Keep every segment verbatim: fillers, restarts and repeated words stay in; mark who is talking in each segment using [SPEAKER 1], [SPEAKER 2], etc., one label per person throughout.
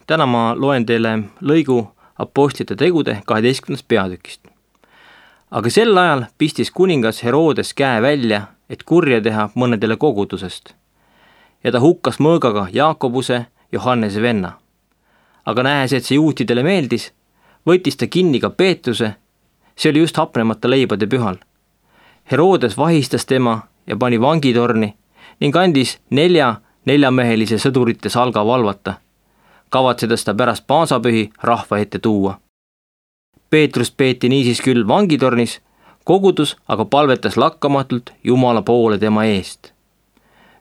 [SPEAKER 1] Täna ma loen teile lõigu Apostlite tegude kaheteistkümnendast peatükist. Aga sel ajal pistis kuningas Herodes käe välja, et kurja teha mõnedele kogudusest. Ja ta hukkas mõõgaga Jaakobuse, Johannese venna. Aga nähes, et see juutidele meeldis, võttis ta kinni ka Peetruse, see oli just hapnemata leibade pühal. Herodes vahistas tema ja pani vangitorni ning andis nelja neljamehelise sõdurite salga valvata, kavatsedes ta pärast paasapühi rahva ette tuua. Peetrust peeti niisiis küll vangitornis, kogudus aga palvetas lakkamatult Jumala poole tema eest.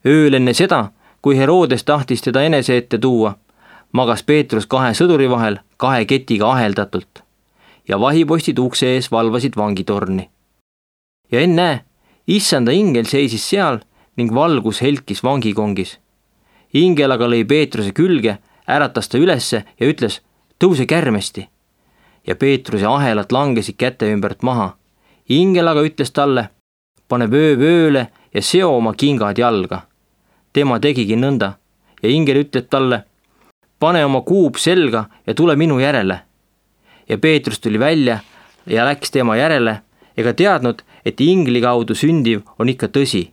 [SPEAKER 1] Ööl enne seda, kui Herodes tahtis teda enese ette tuua, magas Peetrus kahe sõduri vahel kahe ketiga aheldatult ja vahipostid ukse ees valvasid vangitorni. Ja ennäe, issanda ingel seisis seal ning valgus helkis vangikongis. Ingel aga lõi Peetruse külge, äratas ta ülesse ja ütles, tõuse kärmesti. Ja Peetruse ahelad langesid käte ümbert maha. Ingel aga ütles talle, pane vöö vööle ja seo oma kingad jalga. Tema tegigi nõnda ja ingel ütleb talle, pane oma kuub selga ja tule minu järele. Ja Peetrus tuli välja ja läks tema järele ega teadnud, et ingli kaudu sündiv on ikka tõsi,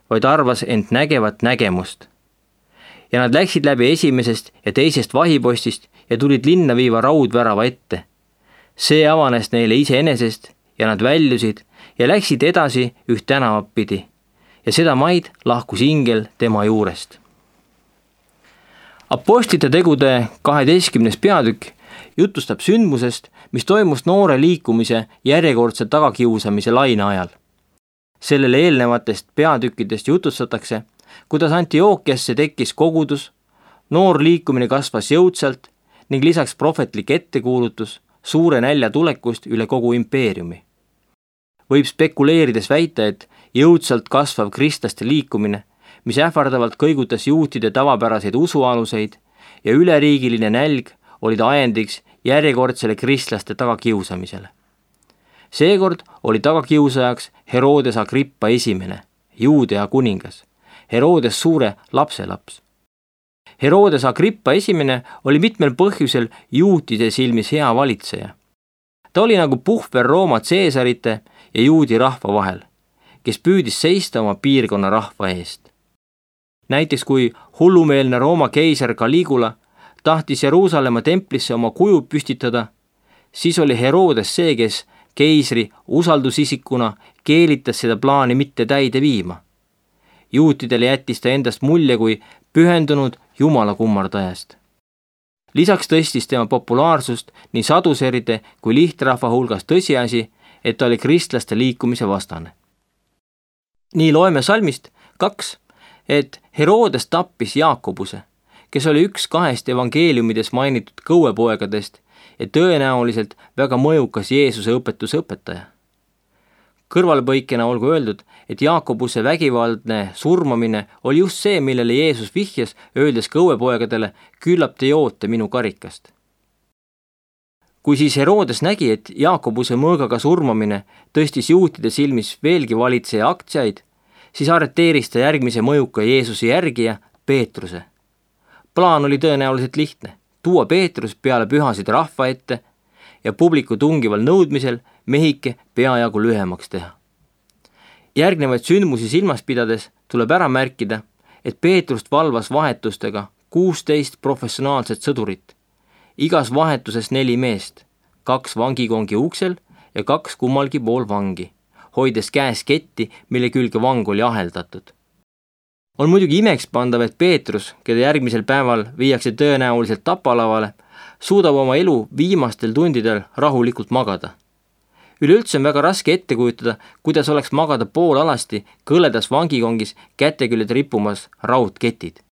[SPEAKER 1] vaid arvas end nägevat nägemust. Ja nad läksid läbi esimesest ja teisest vahipostist ja tulid linna viiva raudvärava ette. See avanes neile iseenesest ja nad väljusid ja läksid edasi üht tänavat pidi. Ja seda maid lahkus ingel tema juurest. Apostlite tegude kaheteistkümnes peatükk jutustab sündmusest, mis toimus noore liikumise järjekordse tagakiusamise laine ajal. Sellele eelnevatest peatükkidest jutustatakse, kuidas Antiookiasse tekkis kogudus, noor liikumine kasvas jõudsalt ning lisaks prohvetlik ettekuulutus suure nälja tulekust üle kogu impeeriumi. Võib spekuleerides väita, et jõudsalt kasvav kristlaste liikumine, mis ähvardavalt kõigutas juutide tavapäraseid usualuseid ja üleriigiline nälg olid ajendiks järjekordsele kristlaste tagakiusamisele. Seekord oli tagakiusajaks Herodes Agrippa esimene, Juudea kuningas, Herodes suure lapselaps. Herodes Agrippa esimene oli mitmel põhjusel juutide silmis hea valitseja. Ta oli nagu puhver Rooma Caesarite ja juudi rahva vahel, kes püüdis seista oma piirkonna rahva eest. Näiteks kui hullumeelne Rooma keisar Caligula tahtis Jeruusalemma templisse oma kuju püstitada, siis oli Herodes see, kes keisri usaldusisikuna keelitas seda plaani mitte täide viima. Juutidele jättis ta endast mulje kui pühendunud Jumala kummardajast. Lisaks tõstis tema populaarsust nii saduseride kui lihtrahva hulgas tõsiasi, et ta oli kristlaste liikumise vastane. Nii loeme salmist kaks, et Herodes tappis Jaakobuse, kes oli üks kahest evangeeliumides mainitud kõuepoegadest ja tõenäoliselt väga mõjukas Jeesuse õpetuse õpetaja. Kõrvalpõikena olgu öeldud, et Jaakobuse vägivaldne surmamine oli just see, millele Jeesus vihjas, öeldes kõuepoegadele, küllap te joote minu karikast. Kui siis Herodes nägi, et Jaakobuse mõõgaga surmamine tõstis juutide silmis veelgi valitseja aktsiaid, siis arreteeris ta järgmise mõjuka Jeesuse järgija Peetruse. Plaan oli tõenäoliselt lihtne, tuua Peetrus peale pühasid rahva ette ja publiku tungival nõudmisel mehike peajagu lühemaks teha. Järgnevaid sündmusi silmas pidades tuleb ära märkida, et Peetrust valvas vahetustega kuusteist professionaalset sõdurit, igas vahetuses neli meest, kaks vangikongi uksel ja kaks kummalgi pool vangi, hoides käes ketti, mille külge vang oli aheldatud. On muidugi imekspandav, et Peetrus, keda järgmisel päeval viiakse tõenäoliselt tapalavale, suudab oma elu viimastel tundidel rahulikult magada. Üleüldse on väga raske ette kujutada, kuidas oleks magada poolalasti kõledas vangikongis käteküljed rippumas raudketid.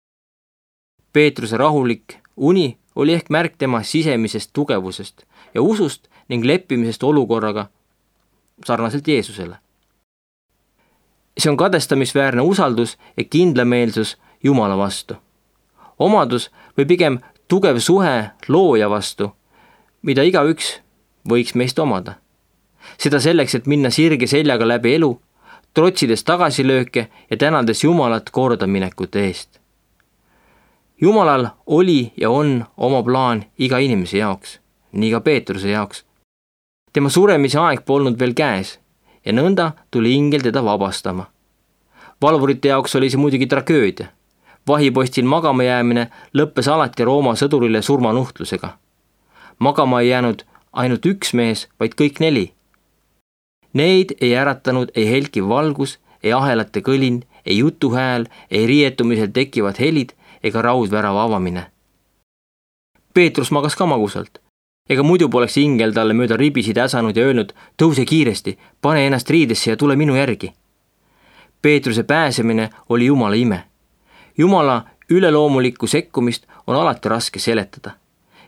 [SPEAKER 1] Peetruse rahulik uni oli ehk märk tema sisemisest tugevusest ja usust ning leppimisest olukorraga sarnaselt Jeesusele. See on kadestamisväärne usaldus ja kindlameelsus Jumala vastu. Omadus või pigem tugev suhe looja vastu, mida igaüks võiks meist omada. Seda selleks, et minna sirge seljaga läbi elu, trotsides tagasilööke ja tänades Jumalat kordaminekute eest. Jumalal oli ja on oma plaan iga inimese jaoks, nii ka Peetruse jaoks. Tema suremise aeg polnud veel käes ja nõnda tuli ingel teda vabastama. Valvurite jaoks oli see muidugi tragöödia. Vahipostil magama jäämine lõppes alati Rooma sõdurile surmanuhtlusega. Magama ei jäänud ainult üks mees, vaid kõik neli. Neid ei äratanud ei helkiv valgus, ei ahelate kõlin, ei jutuhääl, ei riietumisel tekivad helid ega raudvärava avamine. Peetrus magas ka magusalt. Ega muidu poleks ingel talle mööda ribisid äsanud ja öelnud, tõuse kiiresti, pane ennast riidesse ja tule minu järgi. Peetruse pääsemine oli Jumala ime. Jumala üleloomulikku sekkumist on alati raske seletada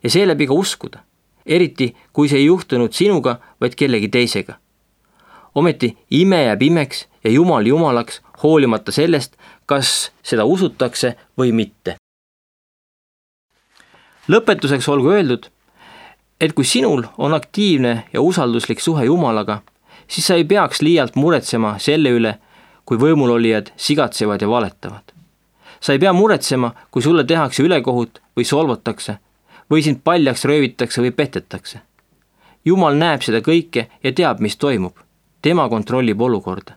[SPEAKER 1] ja seeläbi ka uskuda, eriti kui see ei juhtunud sinuga, vaid kellegi teisega. Ometi ime jääb imeks ja Jumal Jumalaks, hoolimata sellest, kas seda usutakse või mitte. Lõpetuseks olgu öeldud, et kui sinul on aktiivne ja usalduslik suhe Jumalaga, siis sa ei peaks liialt muretsema selle üle, kui võimulolijad sigatsevad ja valetavad. Sa ei pea muretsema, kui sulle tehakse ülekohut või solvatakse, või sind paljaks röövitakse või petetakse. Jumal näeb seda kõike ja teab, mis toimub. Tema kontrollib olukorda.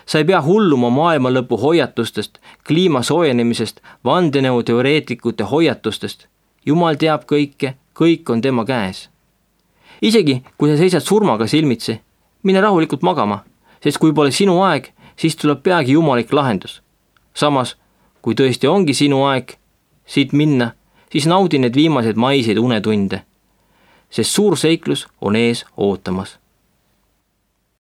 [SPEAKER 1] Sa ei pea hulluma maailma lõpu hoiatustest, kliima soojenemisest, vandenõuteoreetikute hoiatustest. Jumal teab kõike, kõik on tema käes. Isegi kui sa seisad surmaga silmitsi, mine rahulikult magama, sest kui pole sinu aeg, siis tuleb peagi jumalik lahendus. Samas, kui tõesti ongi sinu aeg siit minna, siis naudi need viimased maiseid unetunde, sest suur seiklus on ees ootamas.